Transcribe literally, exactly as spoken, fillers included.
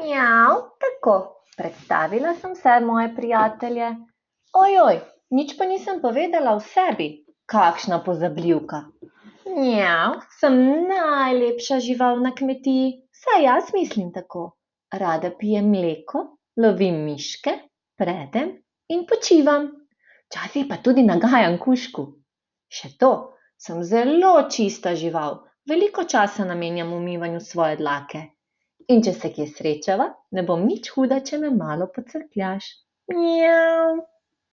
Mjav, tako, predstavila sem vse moje prijatelje. Ojoj, nič pa nisem povedala o sebi. Kakšna pozabljivka. Mjav, sem najlepša žival na kmetiji, saj jaz mislim tako. Rada pijem mleko, lovim miške, predem in počivam. Včasih pa tudi nagajam kužku. Še to, sem zelo čista žival, veliko časa namenjam umivanju svoje dlake. In če se kje srečava, ne bom nič huda, če me malo pocrkljaš. Mjav.